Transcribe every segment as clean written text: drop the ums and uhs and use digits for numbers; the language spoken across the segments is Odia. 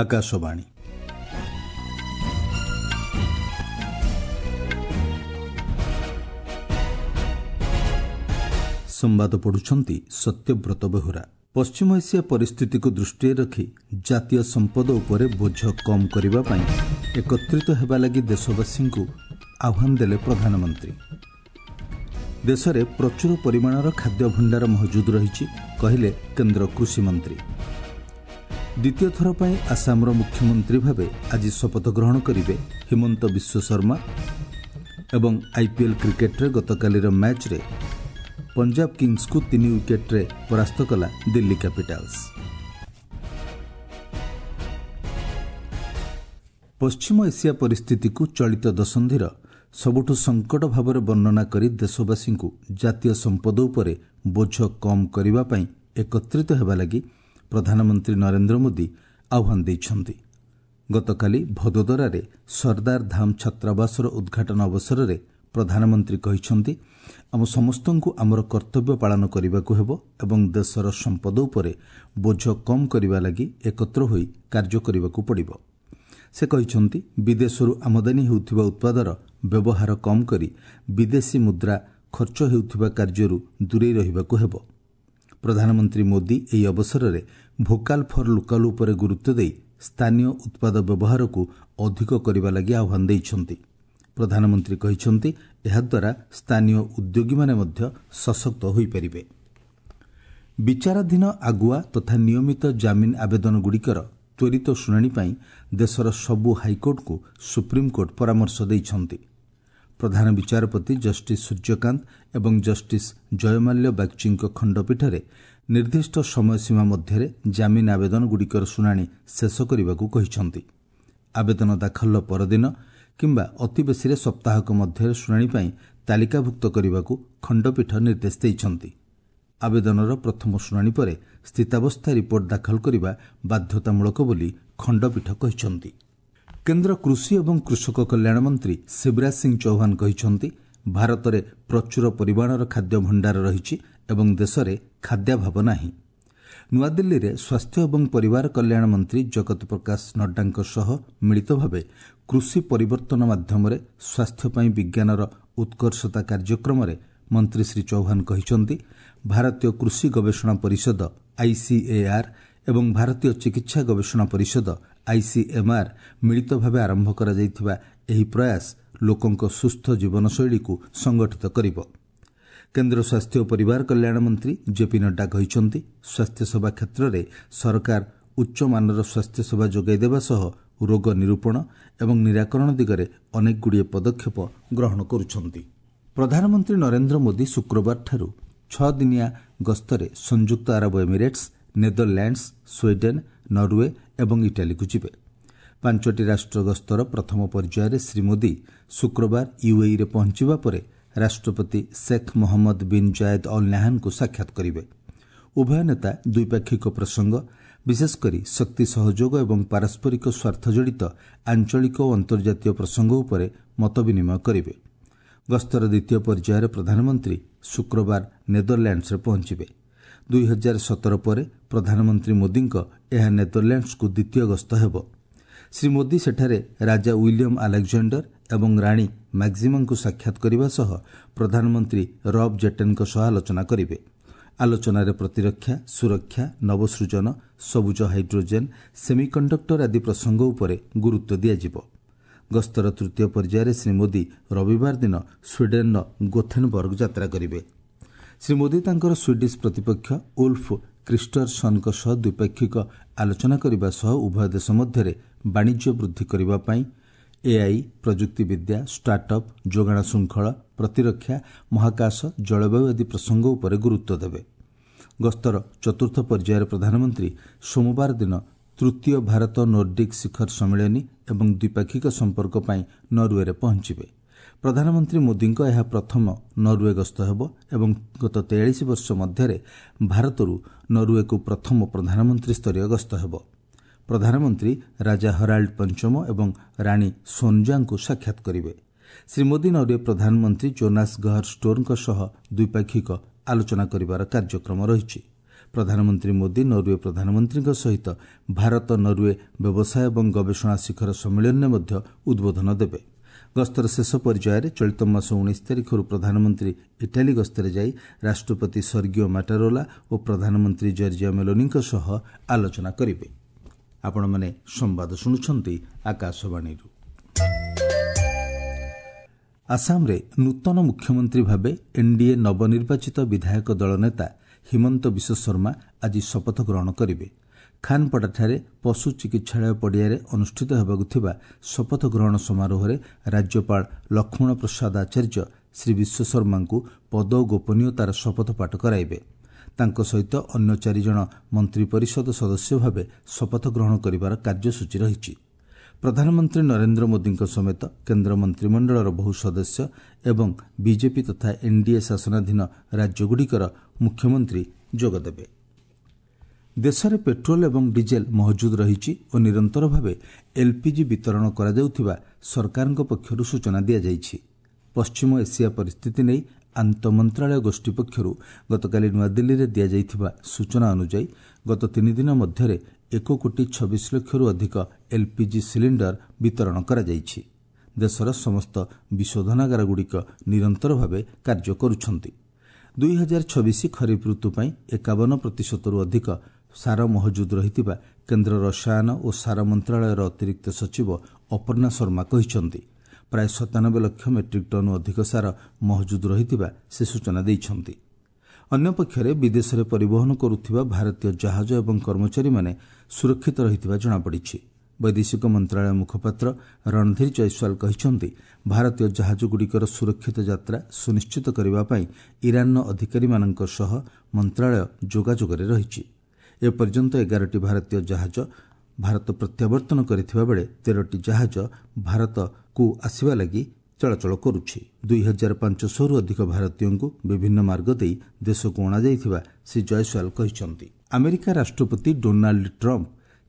ଆକାଶବାଣୀ। ସମ୍ବାଦ ପଢୁଛନ୍ତି ସତ୍ୟବ୍ରତ ବେହୁରା। ପଶ୍ଚିମ ଏସିଆ ପରିସ୍ଥିତିକୁ ଦୃଷ୍ଟିରେ ରଖି ଜାତୀୟ ସମ୍ପଦ ଉପରେ ବୋଝ କମ୍ କରିବା ପାଇଁ ଏକତ୍ରିତ ହେବା ଲାଗି ଦେଶବାସୀଙ୍କୁ ଆହ୍ୱାନ ଦେଲେ ପ୍ରଧାନମନ୍ତ୍ରୀ। ଦେଶରେ ପ୍ରଚୁର ପରିମାଣର ଖାଦ୍ୟ ଭଣ୍ଡାର ମହଜୁଦ ରହିଛି, କହିଲେ କେନ୍ଦ୍ର କୃଷିମନ୍ତ୍ରୀ। ଦ୍ୱିତୀୟ ଥର ପାଇଁ ଆସାମର ମୁଖ୍ୟମନ୍ତ୍ରୀ ଭାବେ ଆଜି ଶପଥ ଗ୍ରହଣ କରିବେ ହିମନ୍ତ ବିଶ୍ୱ ଶର୍ମା। ଏବଂ ଆଇପିଏଲ୍ କ୍ରିକେଟ୍ରେ ଗତକାଲିର ମ୍ୟାଚ୍ରେ ପଞ୍ଜାବ କିଙ୍ଗସ୍କୁ 3 ୱିକେଟ୍ରେ ପରାସ୍ତ କଲା ଦିଲ୍ଲୀ କ୍ୟାପିଟାଲ୍ସ। ପଶ୍ଚିମ ଏସିଆ ପରିସ୍ଥିତିକୁ ଚଳିତ ଦଶନ୍ଧିର ସବୁଠୁ ସଙ୍କଟ ଭାବରେ ବର୍ଣ୍ଣନା କରି ଦେଶବାସୀଙ୍କୁ ଜାତୀୟ ସମ୍ପଦ ଉପରେ ବୋଝ କମ୍ କରିବା ପାଇଁ ଏକତ୍ରିତ ହେବା ଲାଗି ପ୍ରଧାନମନ୍ତ୍ରୀ ନରେନ୍ଦ୍ର ମୋଦି ଆହ୍ୱାନ ଦେଇଛନ୍ତି। ଗତକାଲି ଭଦୋଦରାରେ ସର୍ଦ୍ଦାର ଧାମ ଛାତ୍ରାବାସର ଉଦ୍ଘାଟନ ଅବସରରେ ପ୍ରଧାନମନ୍ତ୍ରୀ କହିଛନ୍ତି, ଆମ ସମସ୍ତଙ୍କୁ ଆମର କର୍ତ୍ତବ୍ୟ ପାଳନ କରିବାକୁ ହେବ ଏବଂ ଦେଶର ସମ୍ପଦ ଉପରେ ବୋଝ କମ୍ କରିବା ଲାଗି ଏକତ୍ର ହୋଇ କାର୍ଯ୍ୟ କରିବାକୁ ପଡ଼ିବ। ସେ କହିଛନ୍ତି, ବିଦେଶରୁ ଆମଦାନୀ ହେଉଥିବା ଉତ୍ପାଦର ବ୍ୟବହାର କମ୍ କରି ବିଦେଶୀ ମୁଦ୍ରା ଖର୍ଚ୍ଚ ହେଉଥିବା କାର୍ଯ୍ୟରୁ ଦୂରେଇ ରହିବାକୁ ହେବ। ପ୍ରଧାନମନ୍ତ୍ରୀ ମୋଦି ଏହି ଅବସରରେ ଭୋକାଲ୍ ଫର୍ ଲୋକାଲ୍ ଉପରେ ଗୁରୁତ୍ୱ ଦେଇ ସ୍ଥାନୀୟ ଉତ୍ପାଦ ବ୍ୟବହାରକୁ ଅଧିକ କରିବା ଲାଗି ଆହ୍ୱାନ ଦେଇଛନ୍ତି। ପ୍ରଧାନମନ୍ତ୍ରୀ କହିଛନ୍ତି, ଏହାଦ୍ୱାରା ସ୍ଥାନୀୟ ଉଦ୍ୟୋଗୀମାନେ ମଧ୍ୟ ସଶକ୍ତ ହୋଇପାରିବେ। ବିଚାରାଧୀନ ଆଗୁଆ ତଥା ନିୟମିତ ଜାମିନ ଆବେଦନଗୁଡ଼ିକର ତ୍ୱରିତ ଶୁଣାଣି ପାଇଁ ଦେଶର ସବୁ ହାଇକୋର୍ଟଙ୍କୁ ସୁପ୍ରିମକୋର୍ଟ ପରାମର୍ଶ ଦେଇଛନ୍ତି। ପ୍ରଧାନ ବିଚାରପତି ଜଷ୍ଟିସ୍ ସୂର୍ଯ୍ୟକାନ୍ତ ଏବଂ ଜଷ୍ଟିସ୍ ଜୟମାଲ୍ୟ ବାଗ୍ଚୀଙ୍କ ଖଣ୍ଡପୀଠରେ ନିର୍ଦ୍ଦିଷ୍ଟ ସମୟସୀମା ମଧ୍ୟରେ ଜାମିନ ଆବେଦନଗୁଡ଼ିକର ଶୁଣାଣି ଶେଷ କରିବାକୁ କହିଛନ୍ତି। ଆବେଦନ ଦାଖଲର ପରଦିନ କିମ୍ବା ଅତିବେଶୀରେ ସପ୍ତାହକ ମଧ୍ୟରେ ଶୁଣାଣି ପାଇଁ ତାଲିକାଭୁକ୍ତ କରିବାକୁ ଖଣ୍ଡପୀଠ ନିର୍ଦ୍ଦେଶ ଦେଇଛନ୍ତି। ଆବେଦନର ପ୍ରଥମ ଶୁଣାଣି ପରେ ସ୍ଥିତାବସ୍ଥା ରିପୋର୍ଟ ଦାଖଲ କରିବା ବାଧ୍ୟତାମୂଳକ ବୋଲି ଖଣ୍ଡପୀଠ କହିଛନ୍ତି। କେନ୍ଦ୍ର କୃଷି ଏବଂ କୃଷକ କଲ୍ୟାଣ ମନ୍ତ୍ରୀ ଶିବରାଜ ସିଂ ଚୌହାନ କହିଛନ୍ତି, ଭାରତରେ ପ୍ରଚୁର ପରିମାଣର ଖାଦ୍ୟ ଭଣ୍ଡାର ରହିଛି ଏବଂ ଦେଶରେ ଖାଦ୍ୟାଭାବ ନାହିଁ। ନୂଆଦିଲ୍ଲୀରେ ସ୍ୱାସ୍ଥ୍ୟ ଏବଂ ପରିବାର କଲ୍ୟାଣ ମନ୍ତ୍ରୀ ଜଗତ ପ୍ରକାଶ ନଡ୍ଡାଙ୍କ ସହ ମିଳିତ ଭାବେ କୃଷି ପରିବର୍ତ୍ତନ ମାଧ୍ୟମରେ ସ୍ୱାସ୍ଥ୍ୟ ପାଇଁ ବିଜ୍ଞାନର ଉତ୍କର୍ଷତା କାର୍ଯ୍ୟକ୍ରମରେ ମନ୍ତ୍ରୀ ଶ୍ରୀ ଚୌହାନ କହିଛନ୍ତି, ଭାରତୀୟ କୃଷି ଗବେଷଣା ପରିଷଦ ଆଇସିଏଆର୍ ଏବଂ ଭାରତୀୟ ଚିକିତ୍ସା ଗବେଷଣା ପରିଷଦ ଆଇସିଏମ୍ଆର୍ ମିଳିତ ଭାବେ ଆରମ୍ଭ କରାଯାଇଥିବା ଏହି ପ୍ରୟାସ ଲୋକଙ୍କ ସୁସ୍ଥ ଜୀବନଶୈଳୀକୁ ସଂଗଠିତ କରିବ। କେନ୍ଦ୍ର ସ୍ୱାସ୍ଥ୍ୟ ଓ ପରିବାର କଲ୍ୟାଣ ମନ୍ତ୍ରୀ ଜେପି ନଡ୍ଡା କହିଛନ୍ତି, ସ୍ୱାସ୍ଥ୍ୟସେବା କ୍ଷେତ୍ରରେ ସରକାର ଉଚ୍ଚମାନର ସ୍ୱାସ୍ଥ୍ୟସେବା ଯୋଗାଇ ଦେବା ସହ ରୋଗ ନିରୂପଣ ଏବଂ ନିରାକରଣ ଦିଗରେ ଅନେକଗୁଡ଼ିଏ ପଦକ୍ଷେପ ଗ୍ରହଣ କରୁଛନ୍ତି। ପ୍ରଧାନମନ୍ତ୍ରୀ ନରେନ୍ଦ୍ର ମୋଦି ଶୁକ୍ରବାରଠାରୁ 6 ଦିନିଆ ଗସ୍ତରେ ସଂଯୁକ୍ତ ଆରବ ଏମିରେଟ୍ସ, ନେଦରଲ୍ୟାଣ୍ଡସ୍, ସ୍ୱିଡେନ୍, ନରୱେ ଏବଂ ଇଟାଲୀକୁ ଯିବେ। 5ଟି ରାଷ୍ଟ୍ର ଗସ୍ତର ପ୍ରଥମ ପର୍ଯ୍ୟାୟରେ ଶ୍ରୀ ମୋଦି ଶୁକ୍ରବାର ୟୁଏଇରେ ପହଞ୍ଚିବା ପରେ ରାଷ୍ଟ୍ରପତି Sheikh Mohamed bin Zayed Al ନାହାନଙ୍କୁ ସାକ୍ଷାତ କରିବେ। ଉଭୟ ନେତା ଦ୍ୱିପାକ୍ଷିକ ପ୍ରସଙ୍ଗ, ବିଶେଷକରି ଶକ୍ତି ସହଯୋଗ ଏବଂ ପାରସ୍ପରିକ ସ୍ୱାର୍ଥ ଜଡ଼ିତ ଆଞ୍ଚଳିକ ଓ ଅନ୍ତର୍ଜାତୀୟ ପ୍ରସଙ୍ଗ ଉପରେ ମତ ବିନିମୟ କରିବେ। ଗସ୍ତର ଦ୍ୱିତୀୟ ପର୍ଯ୍ୟାୟରେ ପ୍ରଧାନମନ୍ତ୍ରୀ ଶୁକ୍ରବାର ନେଦରଲ୍ୟାଣ୍ଡସରେ ପହଞ୍ଚିବେ। 2017 ପରେ ପ୍ରଧାନମନ୍ତ୍ରୀ ମୋଦିଙ୍କ ଏହା ନେଦରଲ୍ୟାଣ୍ଡସକୁ ଦ୍ୱିତୀୟ ଗସ୍ତ ହେବ। ଶ୍ରୀ ମୋଦି ସେଠାରେ ରାଜା ୱିଲିୟମ୍ ଆଲେକ୍ଜାଣ୍ଡର ଏବଂ ରାଣୀ ମାକ୍ସିମାଙ୍କୁ ସାକ୍ଷାତ କରିବା ସହ ପ୍ରଧାନମନ୍ତ୍ରୀ ରବ୍ ଜେଟେନ୍ଙ୍କ ସହ ଆଲୋଚନା କରିବେ। ଆଲୋଚନାରେ ପ୍ରତିରକ୍ଷା, ସୁରକ୍ଷା, ନବସୃଜନ, ସବୁଜ ହାଇଡ୍ରୋଜେନ୍, ସେମିକଣ୍ଡକ୍ଟର ଆଦି ପ୍ରସଙ୍ଗ ଉପରେ ଗୁରୁତ୍ୱ ଦିଆଯିବ। ଗସ୍ତର ତୃତୀୟ ପର୍ଯ୍ୟାୟରେ ଶ୍ରୀ ମୋଦି ରବିବାର ଦିନ ସ୍ୱିଡେନ୍ର ଗୋଥେନବର୍ଗ ଯାତ୍ରା କରିବେ। ଶ୍ରୀ ମୋଦି ତାଙ୍କର ସ୍ୱିଡିଶ୍ ପ୍ରତିପକ୍ଷ ଉଲ୍ଫ କ୍ରିଷ୍ଟରସନ୍ଙ୍କ ସହ ଦ୍ୱିପାକ୍ଷିକ ଆଲୋଚନା କରିବା ସହ ଉଭୟ ଦେଶ ମଧ୍ୟରେ ବାଣିଜ୍ୟ ବୃଦ୍ଧି କରିବା ପାଇଁ ଏଆଇ, ପ୍ରଯୁକ୍ତିବିଦ୍ୟା, ଷ୍ଟାର୍ଟଅପ୍, ଯୋଗାଣ ଶୃଙ୍ଖଳ, ପ୍ରତିରକ୍ଷା, ମହାକାଶ, ଜଳବାୟୁ ଆଦି ପ୍ରସଙ୍ଗ ଉପରେ ଗୁରୁତ୍ୱ ଦେବେ। ଗସ୍ତର ଚତୁର୍ଥ ପର୍ଯ୍ୟାୟରେ ପ୍ରଧାନମନ୍ତ୍ରୀ ସୋମବାର ଦିନ ତୃତୀୟ ଭାରତ ନୋର୍ଡିକ୍ ଶିଖର ସମ୍ମିଳନୀ ଏବଂ ଦ୍ୱିପାକ୍ଷିକ ସମ୍ପର୍କ ପାଇଁ ନରୱେରେ ପହଞ୍ଚିବେ। ପ୍ରଧାନମନ୍ତ୍ରୀ ମୋଦିଙ୍କ ଏହା ପ୍ରଥମ ନରୱେ ଗସ୍ତ ହେବ ଏବଂ ଗତ 43 ବର୍ଷ ମଧ୍ୟରେ ଭାରତରୁ ନରୱେକୁ ପ୍ରଥମ ପ୍ରଧାନମନ୍ତ୍ରୀ ସ୍ତରୀୟ ଗସ୍ତ ହେବ। ପ୍ରଧାନମନ୍ତ୍ରୀ ରାଜା ହରାଲ୍ଡ ପଞ୍ଚମ ଏବଂ ରାଣୀ ସୋନ୍ଜାଙ୍କୁ ସାକ୍ଷାତ କରିବେ। ଶ୍ରୀ ମୋଦି ନରୱେ ପ୍ରଧାନମନ୍ତ୍ରୀ ଜୋନାସ୍ ଗହର ଷ୍ଟୋରଙ୍କ ସହ ଦ୍ୱିପାକ୍ଷିକ ଆଲୋଚନା କରିବାର କାର୍ଯ୍ୟକ୍ରମ ରହିଛି। ପ୍ରଧାନମନ୍ତ୍ରୀ ମୋଦି ନରୱେ ପ୍ରଧାନମନ୍ତ୍ରୀଙ୍କ ସହିତ ଭାରତ ନରୱେ ବ୍ୟବସାୟ ଏବଂ ଗବେଷଣା ଶିଖର ସମ୍ମିଳନୀରେ ମଧ୍ୟ ଉଦ୍ବୋଧନ ଦେବେ। ଗସ୍ତର ଶେଷ ପର୍ଯ୍ୟାୟରେ ଚଳିତ ମାସ 19 ତାରିଖରୁ ପ୍ରଧାନମନ୍ତ୍ରୀ ଇଟାଲୀ ଗସ୍ତରେ ଯାଇ ରାଷ୍ଟ୍ରପତି ସର୍ଗିଓ ମାଟାରୋଲା ଓ ପ୍ରଧାନମନ୍ତ୍ରୀ ଜର୍ଜିଆ ମେଲୋନିଙ୍କ ସହ ଆଲୋଚନା କରିବେ। ଆପଣମାନେ ସମ୍ବାଦ ଶୁଣୁଛନ୍ତି ଆକାଶବାଣୀରୁ। ଆସାମରେ ନୂତନ ମୁଖ୍ୟମନ୍ତ୍ରୀ ଭାବେ ଏନ୍ଡିଏ ନବନିର୍ବାଚିତ ବିଧାୟକ ଦଳ ନେତା ହିମନ୍ତ ବିଶ୍ୱଶର୍ମା ଆଜି ଶପଥ ଗ୍ରହଣ କରିବେ। ଖାନପଡ଼ାଠାରେ ପଶୁ ଚିକିତ୍ସାଳୟ ପଡ଼ିଆରେ ଅନୁଷ୍ଠିତ ହେବାକୁ ଥିବା ଶପଥ ଗ୍ରହଣ ସମାରୋହରେ ରାଜ୍ୟପାଳ ଲକ୍ଷ୍ମଣ ପ୍ରସାଦ ଆଚାର୍ଯ୍ୟ ଶ୍ରୀ ବିଶ୍ୱଶର୍ମାଙ୍କୁ ପଦ ଓ ଗୋପନୀୟତାର ଶପଥ ପାଠ କରାଇବେ। ତାଙ୍କ ସହିତ ଅନ୍ୟ ଚାରିଜଣ ମନ୍ତ୍ରିପରିଷଦ ସଦସ୍ୟ ଭାବେ ଶପଥ ଗ୍ରହଣ କରିବାର କାର୍ଯ୍ୟସୂଚୀ ରହିଛି। ପ୍ରଧାନମନ୍ତ୍ରୀ ନରେନ୍ଦ୍ର ମୋଦିଙ୍କ ସମେତ କେନ୍ଦ୍ର ମନ୍ତ୍ରିମଣ୍ଡଳର ବହୁ ସଦସ୍ୟ ଏବଂ ବିଜେପି ତଥା ଏନ୍ଡିଏ ଶାସନାଧୀନ ରାଜ୍ୟଗୁଡ଼ିକର ମୁଖ୍ୟମନ୍ତ୍ରୀ ଯୋଗଦେବେ। ଦେଶରେ ପେଟ୍ରୋଲ ଏବଂ ଡିଜେଲ ମହଜୁଦ ରହିଛି ଓ ନିରନ୍ତର ଭାବେ ଏଲ୍ପିଜି ବିତରଣ କରାଯାଉଥିବା ସରକାରଙ୍କ ପକ୍ଷରୁ ସୂଚନା ଦିଆଯାଇଛି। ପଶ୍ଚିମ ଏସିଆ ପରିସ୍ଥିତି ନେଇ ଆନ୍ତଃମନ୍ତ୍ରାଳୟ ଗୋଷ୍ଠୀ ପକ୍ଷରୁ ଗତକାଲି ନୂଆଦିଲ୍ଲୀରେ ଦିଆଯାଇଥିବା ସୂଚନା ଅନୁଯାୟୀ ଗତ ତିନିଦିନ ମଧ୍ୟରେ 1 କୋଟି 26 ଲକ୍ଷରୁ ଅଧିକ ଏଲ୍ପିଜି ସିଲିଣ୍ଡର ବିତରଣ କରାଯାଇଛି। ଦେଶର ସମସ୍ତ ବିଶୋଧନାଗାରଗୁଡ଼ିକ ନିରନ୍ତର ଭାବେ କାର୍ଯ୍ୟ କରୁଛନ୍ତି। 2026 ଖରିଫ ଋତୁ ପାଇଁ 51 ପ୍ରତିଶତରୁ ଅଧିକ ସାର ମହଜୁଦ ରହିଥିବା କେନ୍ଦ୍ର ରସାୟନ ଓ ସାର ମନ୍ତ୍ରଣାଳୟର ଅତିରିକ୍ତ ସଚିବ ଅପର୍ଣ୍ଣା ଶର୍ମା କହିଛନ୍ତି। ପ୍ରାୟ 97 ଲକ୍ଷ ମେଟ୍ରିକ୍ ଟନ୍ରୁ ଅଧିକ ସାର ମହଜୁଦ ରହିଥିବା ସେ ସୂଚନା ଦେଇଛନ୍ତି। ଅନ୍ୟପକ୍ଷରେ ବିଦେଶରେ ପରିବହନ କରୁଥିବା ଭାରତୀୟ ଜାହାଜ ଏବଂ କର୍ମଚାରୀମାନେ ସୁରକ୍ଷିତ ରହିଥିବା ଜଣାପଡ଼ିଛି। ବୈଦେଶିକ ମନ୍ତ୍ରଣାଳୟ ମୁଖପାତ୍ର ରଣଧୀର ଜୟସ୍ୱାଲ କହିଛନ୍ତି, ଭାରତୀୟ ଜାହାଜଗୁଡ଼ିକର ସୁରକ୍ଷିତ ଯାତ୍ରା ସୁନିଶ୍ଚିତ କରିବା ପାଇଁ ଇରାନର ଅଧିକାରୀମାନଙ୍କ ସହ ମନ୍ତ୍ରଣାଳୟ ଯୋଗାଯୋଗରେ ରହିଛି। ଏପର୍ଯ୍ୟନ୍ତ 11ଟି ଭାରତୀୟ ଜାହାଜ ଭାରତ ପ୍ରତ୍ୟାବର୍ତ୍ତନ କରିଥିବା ବେଳେ 13ଟି ଜାହାଜ ଭାରତକୁ ଆସିବା ଲାଗି ଚଳାଚଳ କରୁଛି। 2500ରୁ ଅଧିକ ଭାରତୀୟଙ୍କୁ ବିଭିନ୍ନ ମାର୍ଗ ଦେଇ ଦେଶକୁ ଅଣାଯାଇଥିବା ଶ୍ରୀ ଜୟସ୍ୱାଲ କହିଛନ୍ତି। ଆମେରିକା ରାଷ୍ଟ୍ରପତି ଡୋନାଲ୍ଡ ଟ୍ରମ୍ପ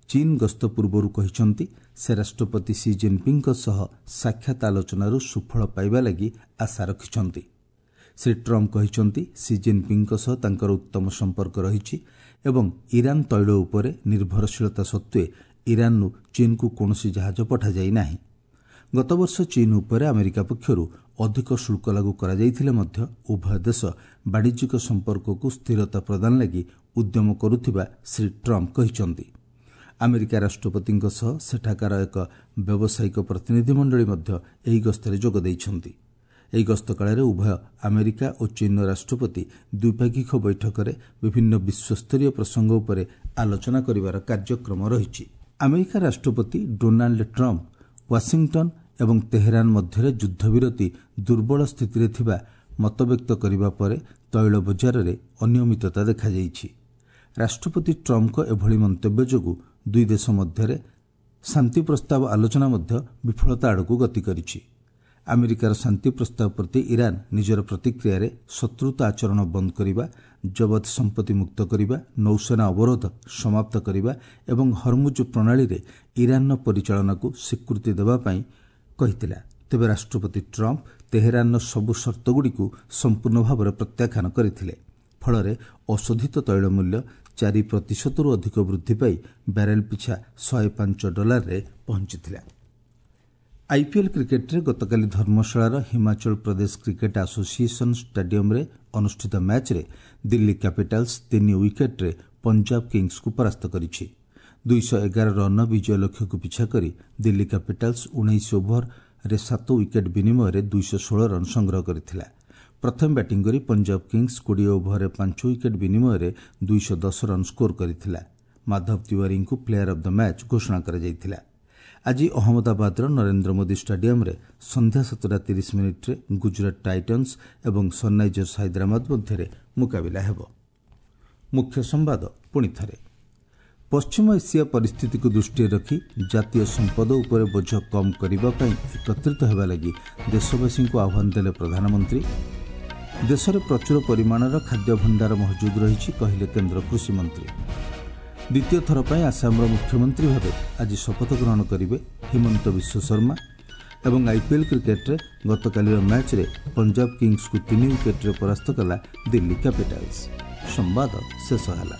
ଚୀନ୍ ଗସ୍ତ ପୂର୍ବରୁ କହିଛନ୍ତି, ସେ ରାଷ୍ଟ୍ରପତି ସି ଜିନ୍ପିଙ୍ଗଙ୍କ ସହ ସାକ୍ଷାତ ଆଲୋଚନାରୁ ସୁଫଳ ପାଇବା ଲାଗି ଆଶା ରଖିଛନ୍ତି। ଶ୍ରୀ ଟ୍ରମ୍ପ କହିଛନ୍ତି, ସି ଜିନ୍ପିଙ୍ଗଙ୍କ ସହ ତାଙ୍କର ଉତ୍ତମ ସମ୍ପର୍କ ରହିଛି ଏବଂ ଇରାନ୍ ତୈଳ ଉପରେ ନିର୍ଭରଶୀଳତା ସତ୍ତ୍ୱେ ଇରାନ୍ରୁ ଚୀନ୍କୁ କୌଣସି ଜାହାଜ ପଠାଯାଇ ନାହିଁ। ଗତବର୍ଷ ଚୀନ୍ ଉପରେ ଆମେରିକା ପକ୍ଷରୁ ଅଧିକ ଶୁଳ୍କ ଲାଗୁ କରାଯାଇଥିଲେ ମଧ୍ୟ ଉଭୟ ଦେଶ ବାଣିଜ୍ୟିକ ସମ୍ପର୍କକୁ ସ୍ଥିରତା ପ୍ରଦାନ ଲାଗି ଉଦ୍ୟମ କରୁଥିବା ଶ୍ରୀ ଟ୍ରମ୍ପ କହିଛନ୍ତି। ଆମେରିକା ରାଷ୍ଟ୍ରପତିଙ୍କ ସହ ସେଠାକାର ଏକ ବ୍ୟବସାୟିକ ପ୍ରତିନିଧିମଣ୍ଡଳୀ ମଧ୍ୟ ଏହି ଗସ୍ତରେ ଯୋଗ ଦେଇଛନ୍ତି। ଏହି ଗସ୍ତ କାଳରେ ଉଭୟ ଆମେରିକା ଓ ଚୀନ୍ର ରାଷ୍ଟ୍ରପତି ଦ୍ୱିପାକ୍ଷିକ ବୈଠକରେ ବିଭିନ୍ନ ବିଶ୍ୱସ୍ତରୀୟ ପ୍ରସଙ୍ଗ ଉପରେ ଆଲୋଚନା କରିବାର କାର୍ଯ୍ୟକ୍ରମ ରହିଛି। ଆମେରିକା ରାଷ୍ଟ୍ରପତି ଡୋନାଲ୍ଡ ଟ୍ରମ୍ପ ୱାଶିଂଟନ୍ ଏବଂ ତେହେରାନ ମଧ୍ୟରେ ଯୁଦ୍ଧବିରତି ଦୁର୍ବଳ ସ୍ଥିତିରେ ଥିବା ମତବ୍ୟକ୍ତ କରିବା ପରେ ତୈଳ ବଜାରରେ ଅନିୟମିତତା ଦେଖାଯାଇଛି। ରାଷ୍ଟ୍ରପତି ଟ୍ରମ୍ପଙ୍କ ଏଭଳି ମନ୍ତବ୍ୟ ଯୋଗୁଁ ଦୁଇ ଦେଶ ମଧ୍ୟରେ ଶାନ୍ତି ପ୍ରସ୍ତାବ ଆଲୋଚନା ମଧ୍ୟ ବିଫଳତା ଆଡ଼କୁ ଗତି କରିଛି। ଆମେରିକାର ଶାନ୍ତି ପ୍ରସ୍ତାବ ପ୍ରତି ଇରାନ୍ ନିଜର ପ୍ରତିକ୍ରିୟାରେ ଶତ୍ରୁତା ଆଚରଣ ବନ୍ଦ କରିବା, ଜବତ ସମ୍ପତ୍ତି ମୁକ୍ତ କରିବା, ନୌସେନା ଅବରୋଧ ସମାପ୍ତ କରିବା ଏବଂ ହରମୁଜ ପ୍ରଣାଳୀରେ ଇରାନ୍ର ପରିଚାଳନାକୁ ସ୍ୱୀକୃତି ଦେବା ପାଇଁ କହିଥିଲା। ତେବେ ରାଷ୍ଟ୍ରପତି ଟ୍ରମ୍ପ ତେହେରାନର ସବୁ ସର୍ତ୍ତଗୁଡ଼ିକୁ ସମ୍ପୂର୍ଣ୍ଣ ଭାବରେ ପ୍ରତ୍ୟାଖ୍ୟାନ କରିଥିଲେ। ଫଳରେ ଅଶୋଧିତ ତୈଳ ମୂଲ୍ୟ 4 ପ୍ରତିଶତରୁ ଅଧିକ ବୃଦ୍ଧି ପାଇ ବ୍ୟାରେଲ୍ ପିଛା $105ରେ ପହଞ୍ଚିଥିଲା। ଆଇପିଏଲ୍ କ୍ରିକେଟ୍ରେ ଗତକାଲି ଧର୍ମଶାଳାର ହିମାଚଳ ପ୍ରଦେଶ କ୍ରିକେଟ୍ ଆସୋସିଏସନ୍ ଷ୍ଟାଡିୟମ୍ରେ ଅନୁଷ୍ଠିତ ମ୍ୟାଚ୍ରେ ଦିଲ୍ଲୀ କ୍ୟାପିଟାଲ୍ସ 3 ୱିକେଟ୍ରେ ପଞ୍ଜାବ କିଙ୍ଗ୍ସକୁ ପରାସ୍ତ କରିଛି। 211 ରନ୍ର ବିଜୟ ଲକ୍ଷ୍ୟକୁ ପିଛା କରି ଦିଲ୍ଲୀ କ୍ୟାପିଟାଲ୍ସ 19 ଓଭରରେ 7 ୱିକେଟ୍ ବିନିମୟରେ 216 ରନ୍ ସଂଗ୍ରହ କରିଥିଲା। ପ୍ରଥମେ ବ୍ୟାଟିଂ କରି ପଞ୍ଜାବ କିଙ୍ଗ୍ସ 20 ଓଭରରେ 5 ୱିକେଟ୍ ବିନିମୟରେ 210 ରନ୍ ସ୍କୋର କରିଥିଲା। ମାଧବ ତିୱାରୀଙ୍କୁ ପ୍ଲେୟାର ଅଫ୍ the match ଘୋଷଣା କରାଯାଇଥିଲା। ଆଜି ଅହମ୍ମଦାବାଦର ନରେନ୍ଦ୍ର ମୋଦି ଷ୍ଟାଡିୟମ୍ରେ ସନ୍ଧ୍ୟା 7:30ରେ ଗୁଜରାଟ ଟାଇଟନ୍ସ ଏବଂ ସନ୍ରାଇଜର୍ସ ହାଇଦ୍ରାବାଦ ମଧ୍ୟରେ ମୁକାବିଲା ହେବ। ମୁଖ୍ୟ ସମ୍ବାଦ ପୁଣିଥରେ। ପଶ୍ଚିମ ଏସିଆ ପରିସ୍ଥିତିକୁ ଦୃଷ୍ଟିରେ ରଖି ଜାତୀୟ ସମ୍ପଦ ଉପରେ ବୋଝ କମ୍ କରିବା ପାଇଁ ଏକତ୍ରିତ ହେବା ଲାଗି ଦେଶବାସୀଙ୍କୁ ଆହ୍ୱାନ ଦେଲେ ପ୍ରଧାନମନ୍ତ୍ରୀ। ଦେଶରେ ପ୍ରଚୁର ପରିମାଣର ଖାଦ୍ୟ ଭଣ୍ଡାର ମହଜୁଦ ରହିଛି, କହିଲେ କେନ୍ଦ୍ର କୃଷିମନ୍ତ୍ରୀ। ଦ୍ୱିତୀୟ ଥର ପାଇଁ ଆସାମର ମୁଖ୍ୟମନ୍ତ୍ରୀ ଭାବେ ଆଜି ଶପଥ ଗ୍ରହଣ କରିବେ ହିମନ୍ତ ବିଶ୍ୱଶର୍ମା। ଏବଂ ଆଇପିଏଲ୍ କ୍ରିକେଟ୍ରେ ଗତକାଲିର ମ୍ୟାଚ୍ରେ ପଞ୍ଜାବ କିଙ୍ଗ୍ସକୁ 3 ୱିକେଟ୍ରେ ପରାସ୍ତ କଲା ଦିଲ୍ଲୀ କ୍ୟାପିଟାଲ୍ସ। ସମ୍ବାଦ ଶେଷ ହେଲା।